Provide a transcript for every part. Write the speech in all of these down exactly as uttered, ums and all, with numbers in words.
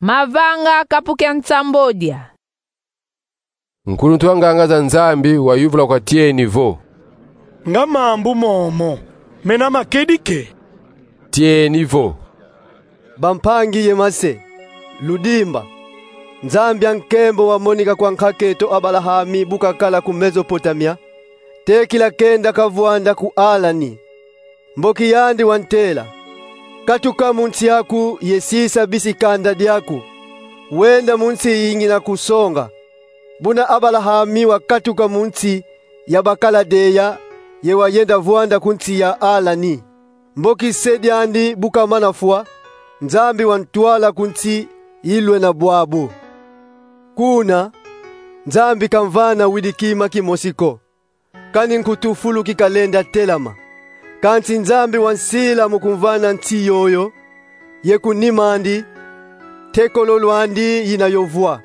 Mavanga kapu kia nsambodia. Nkuluntu wa nganga za Nzambi wayuvula kwa Tieni vo: Nga mambu momo mena makedi ke? Tieni vo: Bampangi ye mase, ludimba. Nzambi a nkembo wamonika kwa nkak'eto Abalahami bu kakala ku Mezopotamia, tekila kenda kavwanda ku Alani. Mboki yandi wantela: Katuka mu nsi yaku ye sisa bisi kanda diaku, wenda mu nsi yi ngina kusonga. Buna Abalahami wakatuka mu nsi ya Bakaladea ye wayenda vwanda ku nsi ya Alani. Mboki se diandi bu kamana fwa, Nzambi wantwala ku nsi yi lwena bwabu. Kuna, Nzambi kamvana widi kima kimosi ko, kani nkutu fulu ki kalenda telama. Kansi Nzambi wansila mu kumvana nsi yoyo, ye ku nim'andi, ntekolo lwandi yina yo vwa.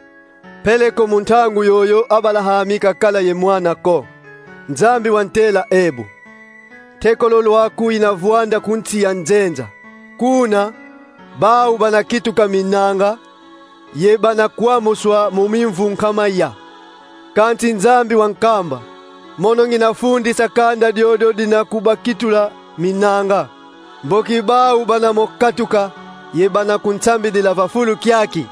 Peleko mu ntangu yoyo Abalahami kakala ye mwana ko, Nzambi wantela ebu: Ntekolo lwaku yina vwanda ku nsi ya nzenza. Kuna, bau bana kituka minanga, ye bana kwamuswa mu mimvu nkama ya. Kansi Nzambi wankamba: Mono ngina fundisa kanda diodio dina kubakitula minanga. Mboki bau bana mo katuka, ye bana kunsambidila va fulu kiaki.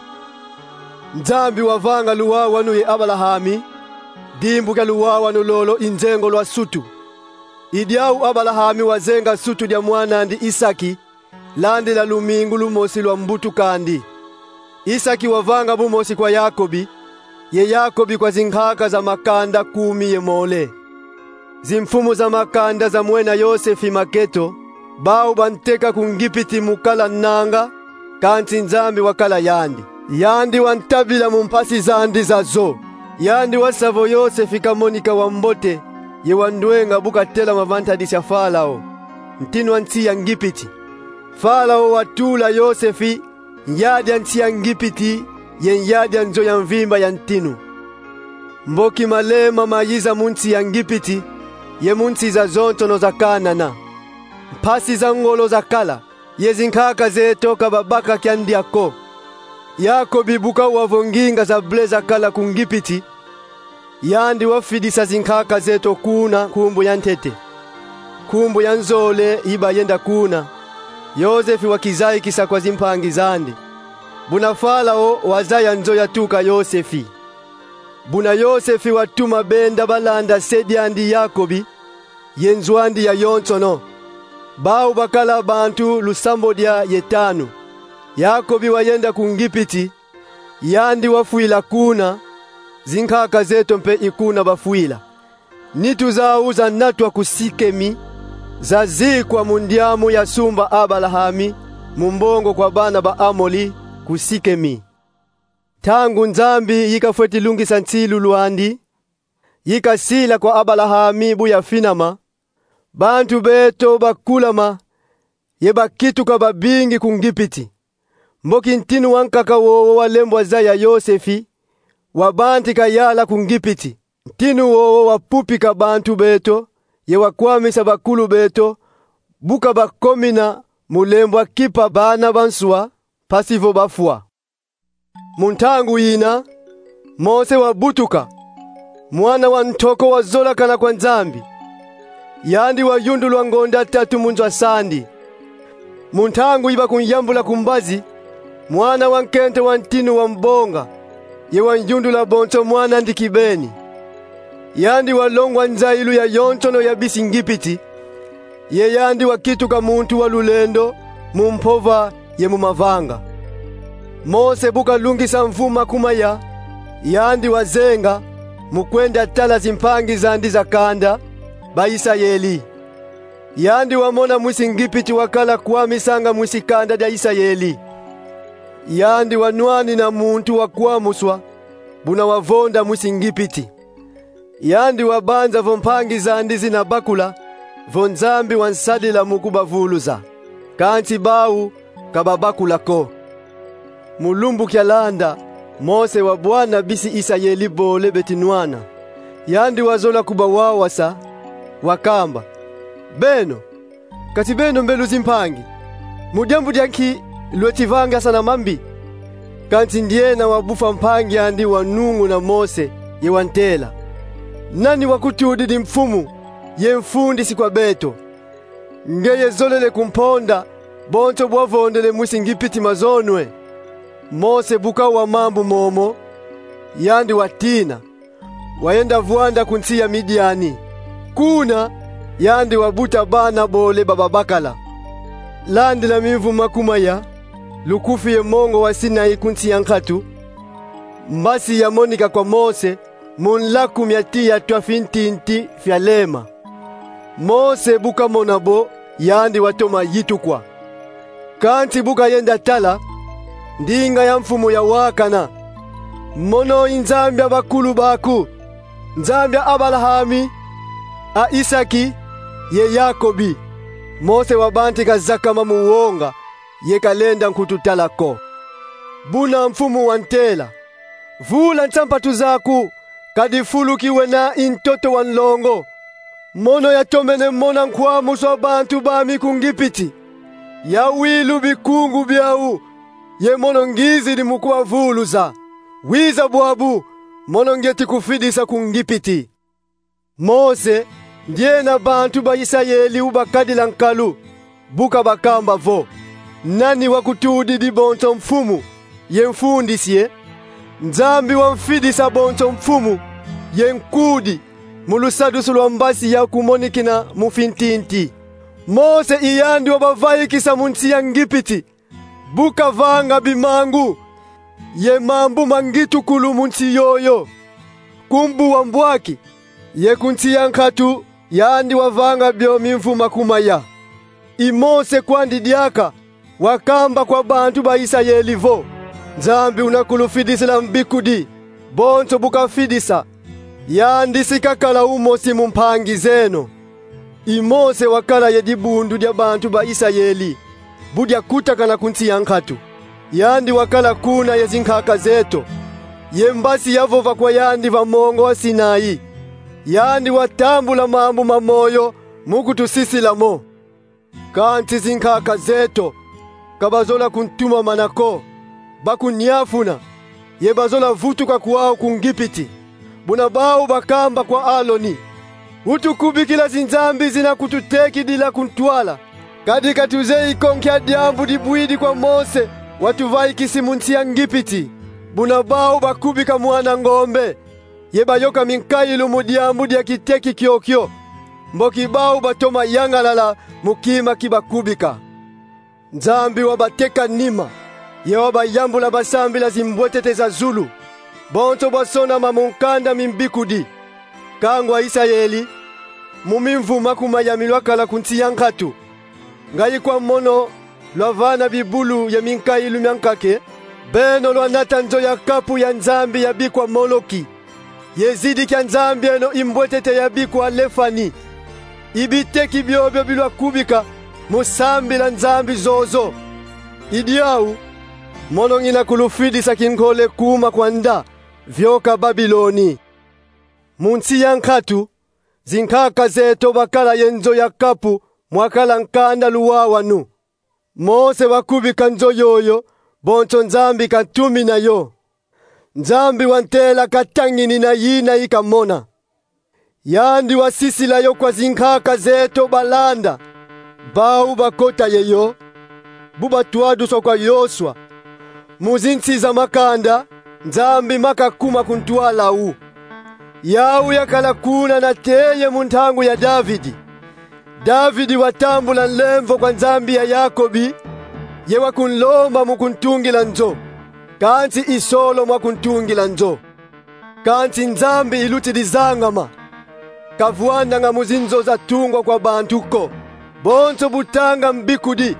Nzambi wavanga luwawanu ye Abalahami, dimbu kia luwawanu lolo i nzengo lwa sutu. I diau Abalahami wazenga sutu dia mwan'andi Isaki, landila lumingu lumosi lwa mbutuk'andi. Isaki wavanga bumosi kwa Yakobi, ye Yakobi kwa zinkaka za makanda kumi ye mole. Zimfumu za makanda zamwena Yosefi maketo, bau banteka ku Ngipiti mu kala nanga, kansi Nzambi wakala yandi. Yandi wantabila mu mpasi zandi zazo. Yandi wasa vo Yosefi kamonika wa mbote ye wa ndwenga bu katelama va ntadisi ya Farao, ntinu a nsi ya Ngipiti. Farao watula Yosefi nyadia nsi ya Ngipiti ye nyadia nzo ya mvimba ya ntinu. Mboki malema mayiza mu nsi ya Ngipiti ye mu nsi zazonsono za Kanana. Mpasi za ngolo zakala, ye zinkaka zeto ka babaka kya ndia ko. Yakobi bu kawa vo nginga za ble zakala ku Ngipiti, yandi wafidisa zinkaka zeto kuna nkumbu ya ntete. Nkumbu ya nzole yi bayenda kuna, Yosefi wakizayikisa kwa zimpangi zandi. Buna Farao wazaya nzo yatuka Yosefi. Buna Yosefi watuma benda balanda se diandi Yakobi ye nzo andi yayonsono. Bau bakala bantu lusambodia ye tanu. Yakobi wayenda ku Ngipiti, yandi wafwila kuna, zinkaka zeto mpe i kuna bafwila. Nitu zau zanatwa ku Sikemi, zazikwa mu ndiamu ya sumba Abalahami, mu mbongo kwa bana ba Amoli, ku Sikemi. Ntangu Nzambi yi kafweti lungisa nsilu lwandi, yi kasila kwa Abalahami bu yafinama, bantu beto bakulama ye bakituka babingi ku Ngipiti. Mboki ntinu wankaka wowo walembwa zaya Yosefi, wabantika yala ku Ngipiti. Ntinu wowo wapupika bantu beto ye wakwamisa bakulu beto, bu kabakomina mu lembwa kipa bana ba nswa, mpasi vo bafwa. Mu ntangu yina, Mose wabutuka, mwana wa ntoko wazolakana kwa Nzambi. Yandi wayundulwa ngonda tatu mu nzo a sandi. Mu ntangu yi bakunyambula ku mbazi, mwana wa nkento wa ntinu wambonga, ye wanyundula bonso mwan'andi kibeni. Yandi walongwa nzayilu yayonsono ya bisi Ngipiti, ye yandi wakituka muntu wa lulendo mu mpova ye mu mavanga. Mose bu kalungisa mvu makumaya, yandi wazenga mu kwenda tala zimpangi zandi za kanda, ba Isayeli. Yandi wamona mwisi Ngipiti wakala kwamisanga mwisi kanda dia Isayeli. Yandi wanwanina muntu wa kwamuswa, buna wavonda mwisi Ngipiti. Yandi wabanza vo mpangi zandi zina bakula, vo Nzambi wansadila mu kubavuluza. Kansi bau ka babakula ko. Mu lumbu kialanda, Mose wabwana bisi Isayeli bole beti nwana. Yandi wazola kubawawasa, wakamba: Beno, kati beno mbe luzimpangi, mu diambu dia nki lweti vangasana mambi? Kansi ndiena wabufwa mpangi andi wanunguna Mose ye wantela: Nani wakutudidi mfumu ye mfundisi kwa beto? Ngeye zolele kumponda bonso bwavondele mwisi Ngipiti mazonwe? Mose bu kawa mambu momo, yandi watina, wayenda vwanda ku nsi ya Midiani. Kuna yandi wabuta bana bole ba babakala. Landila mimvu makumaya, lukufi ye mongo wa Sinai ku nsi ya nkatu, mbasi yamonika kwa Mose mu nlaku mia tiya twa fintinti fya lema. Mose bu kamona bo, yandi watoma yitukwa. Kansi bu kayenda tala, ndinga ya mfumu yawakana: Mono i Nzambi a bakulu baku, Nzambi a Abalahami, a Isaki ye Yakobi. Mose wabantika zakama mu wonga, ye kalenda nkutu tala ko. Buna mfumu wantela: Vula nsapatu zaku, kadi fulu kiwena i ntoto wa nlongo. Mono yatomene mona nkwamusu a bantu bami ku Ngipiti. Yawilu bikungu byau, ye mono ngizidi mu kubavuluza. Wiza bwabu, mono ngieti kufidisa ku Ngipiti. Mose, ndiena bantu ba Isayeli ubakadila nkalu, bu kabakamba vo: Nani wakutudidi bonso mfumu ye mfundisi e? Nzambi wamfidisa bonso mfumu ye nkudi mu lusadusu lwa mbasi yakumonikina mu fintinti. Mose i yandi wabavaikisa mu nsi ya Ngipiti, bu kavanga bimangu ye mambu ma ngitukulu mu nsi yoyo. Ku mbu wa mbwaki ye ku nsi ya nkatu, yandi wavanga byo mimvu makumaya. I Mose kwandi diaka wakamba kwa bantu ba Isayeli vo: Nzambi una kulufidisila mbikudi, bonso bu kafidisa, yandi si kakala umosi mu mpangi zeno. I Mose wakala ye dibundu dia bantu ba Isayeli bu diakutakana ku nsi ya nkatu. Yandi wakala kuna ye zinkaka zeto, ye mbasi yavova kwa yandi va mongo wa Sinai. Yandi watambula mambu ma moyo mu kutusisila mo. Kansi zinkaka zeto ka bazola kuntumamana ko, bakunyafuna, ye bazola vutuka kwau ku Ngipiti. Buna bau bakamba kwa Aloni: Utukubikila zinzambi zina kututekidila ku ntwala, kadi ka tuzeyi ko nkia diambu dibwidi kwa Mose watuvaikisi mu nsi ya Ngipiti. Buna bau bakubika mwana ngombe, ye bayoka minkailu mu diambu dia kiteki kiokio, mboki bau batoma yangalala mu kima ki bakubika. Nzambi wabateka nima, ye wabayambula basambila zimbwetete za zulu. Bonso bwasonama mu nkanda mi mbikudi. Kangu a Isayeli, mu mimvu makumaya mi lwakala ku nsi ya nkatu, ngai kwa mono lwavana bibulu ye minkailu mia nkaka e. Beno lwanata nzo ya kapu ya nzambi yabikwa Moloki, ye zidi kia nzambi eno imbwetete yabikwa Lefani. I biteki biobio bi lwakubika mu sambila nzambi zozo. I diau mono ngina kulufidisa kinkole kuma kwanda, vyoka Babiloni. Mu nsi ya nkatu, zinkaka zeto bakala ye nzo ya kapu mwakala nkanda luwawanu. Mose wakubika nzo yoyo, bonso Nzambi kantumina yo. Nzambi wantela katanginina yina i kamona. Yandi wasisila yo kwa zinkaka zeto balanda, bau bakota ye yo, bu batwaduswa kwa Yosua. Mu zinsi za makanda, Nzambi ma kakuma ku ntwala au. Yau yakala kuna nate ye mu ntangu ya Davidi. Davidi watambula nlemvo kwa Nzambi ya Yakobi, ye wakunlomba mu kuntungila nzo. Kansi i solo mwakuntungila nzo. Kansi Nzambi ilutidi zangama. Kavwandanga mu zinzo zatungwa kwa bantu ko. Bonso bu tanga mbikudi,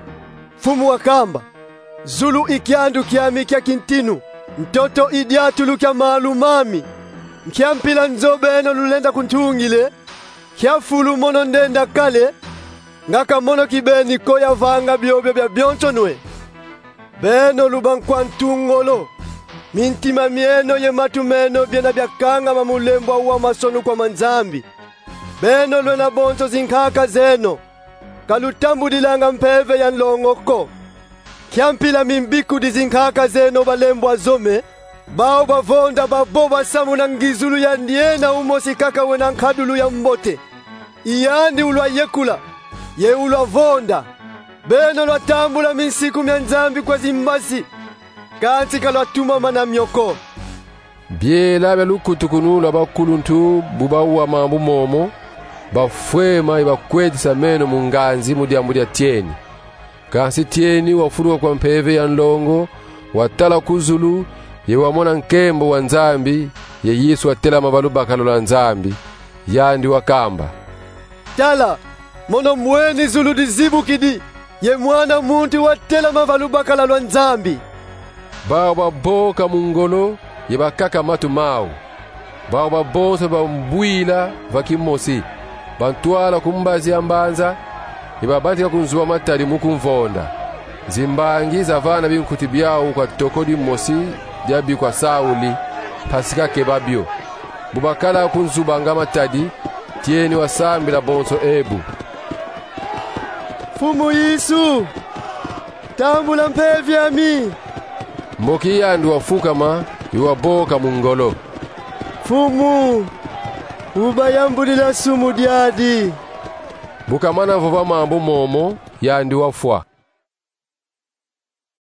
Mfumu wakamba: Zulu i kiandu kiami kia kintinu, ntoto i diatulu kia malu mami. Nkia mpila nzo beno lulenda kuntungila e? Nkia fulu mono ndenda kala e? Nga ka mono kibeni ko yavanga biobio bya byonsono e? Beno lubankwa ntu ngolo, mintima mieno ye matu meno byena byakangama mu lembwa wa masonu kwa ma nzambi. Beno lwena bonso zinkaka zeno, ka lutambudilanga mpeve ya nlongo ko. Kiampila mimbikudi zinkaka zeno balembwa zome, bau bavonda babo basamuna ngizulu ya ndiena umosi kaka wena nkadulu ya mbote. I yandi ulwayekula, ye ulwavonda: Beno lwatambula minsiku mia Nzambi kwa zimbazi, kansi ka lwatumamana mio ko. Biela bia lukutukunu lwa bakuluntu bu bawa mambu momo, bafwema ye bakwetisa meno mu nganzi mu diambu dia tieni. Kansi tieni wafuluka kwa mpeve ya nlongo, watala ku zulu, ye wamona nkembo wa Nzambi, ye Yesu watelama va lubakala lwa Nzambi. Yandi wakamba: Tala, mono mweni zulu dizibukidi, ye Mwana muntu watelama va lubakala lwa Nzambi. Bau baboka mu ngolo, ye bakaka matu mau. Bau babonso bambwila va kimosi, bantwala ku mbazi ya mbanza, ye babatika kunzuba matadi mu kumvonda. Zimbangi zavana binkuti biau kwa toko dimosi dia bikwa sauli, mpasi kakeba bio. Bu bakala kunzubanga matadi, tieni wasambila bonso ebu: Mfumu Yesu, tambula mpeve yami. Mboki yandi wafukama, ye waboka mu ngolo: Mfumu, ubayambudila sumu diadi. Bu kamana vova mambu momo, yandi wafwa.